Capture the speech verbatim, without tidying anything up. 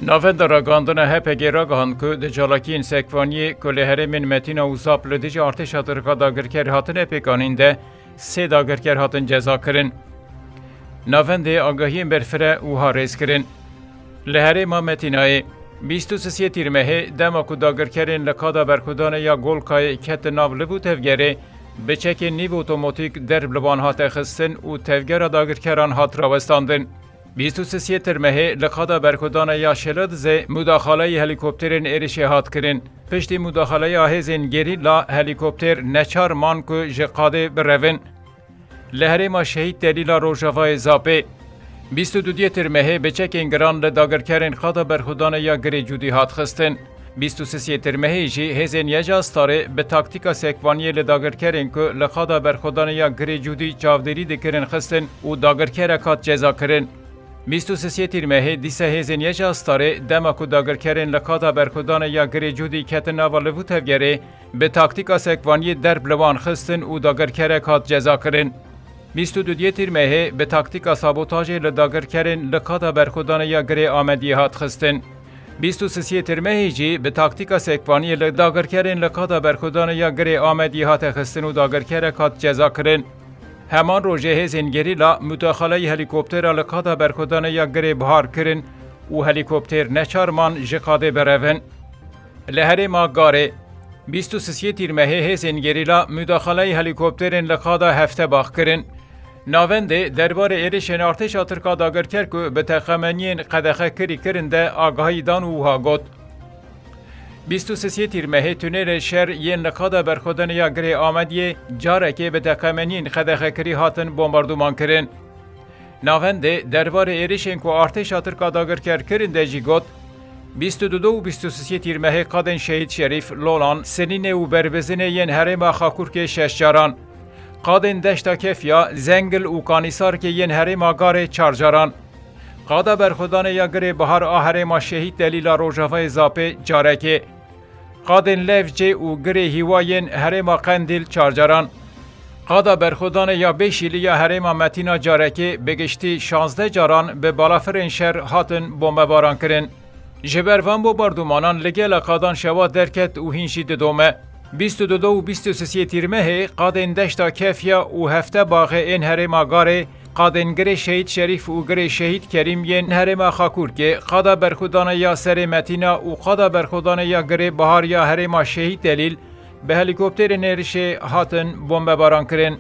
Navenda ragihandina H P G ragihand ku di çalakiyên sekvaniyê ku li herêmên Metîna û Zap li dijî artêşa Tirka dagirker hatine pêkanîn de sê dagirker hatin cezakirin. Navendê agahiyên berfireh wiha rêz kirin. Li herêma Metînayê, bîst û sisê Tîrmehê, dema ku dagirkerên li qada berxwedanê ya Golkayê ketin nav liv û tevgerê, bi çekên nîv otomatîk derb li wan hate xistin û tevgera dagirkeran hat rawestandin. Bîst û sisê Tîrmehê li qada berxwedanê ya Şeladizê mudaxaleyî helîkopterên êrişê hat kirin. Piştî mudaxaleya hêzên gerîla, helîkopter neçar man ku ji qadê birevin. Li herêma Şehîd Delîla Rojavayê Zapê, bîst û duyê Tîrmehê bi çekên giran li dagirkerên qada berxwedanê ya Girê Cûdî hat xistin. Bîst û sisê Tîrmehê jî hêzên YJA Starê bi taktîka sekvaniyê li dagirkerên ku li qada berxwedanê ya Girê Cûdî çavdêrî dikirin xistin û dagirkerek hat cezakirin. Bîst û sisê Tîrmehê dîsa hêzên YJA Starê, dema ku dagirkerên li qada berxwedanê ya Girê Cûdî ketin nava liv û tevgerê, bi taktîka sekvaniyê derb li wan xistin û dagirkerek hat cezakirin. Bîst û duyê Tîrmehê bi taktîka sabotajê li dagirkerên li qada berxwedanê ya Girê Amediyê hat xistin. Bîst û sisê Tîrmehê jî bi taktîka sekvaniyê li dagirkerên li qada berxwedanê ya Girê Amediyê hate xistin û dagirkerek hat cezakirin. Heman rojê hêzên gerîla mudaxaleyî helîkoptera li qada berxwedanê ya Girê Bihar kirin û helîkopter neçar man ji qadê birevin. Li herêma Garê, bîst û sisê Tîrmehê hêzên gerîla mudaxaleyî helîkopterên li qada Heftebax kirin. Navendê derbarê êrişên artêşa Tirka dagirker ku bi teqemeniyên qedexekirî kirin de agahî dan û wiha got, bîst û sisê Tîrmehê tunêlê şer yên li qada berxwedanê ya Girê Amediyê carekê bi teqemeniyên qedexekirî hatin bombarduman kirin. Navendê derbarê êrişên ku artêşa Tirka dagirker kirin de jî got, bîst û du û bîst û sisê Tîrmehê qadên Şehîd Şerîf, Lolan, Sinînê û Berbizinê yên herêma Xakurkê şeş caran, qadên Deşta Kefya, Zengil û Kanîsarkê yên herêma Garê çar caran, qada berxwedanê ya Girê Bihar a herêma Şehîd Delîla Rojavayê Zapê carekê, qadên Levcê û Girê Hîwa yên herêma Qendîl çar caran, qada berxwedanê ya Bêşîlî ya herêma Metîna carekê, bi giştî şazdeh caran bi balafirên şer hatin bombebaran kirin. Ji ber van bombardumanan li gela qadan şewa derket û hîn jî didome. Bîst û du û bîst û sisê Tîrmehê qadên Deşta Kefya û Heftebaxê ên herêma Garê, qadên Girê Şehîd Şerîf û Girê Şehîd Kerîm yên herêma Xakurkê, qada berxwedanê ya Serê Metîna û qada berxwedanê ya Girê Bihar ya herêma Şehîd Delîl bi helîkopterên êrişê hatin bombebaran kirin.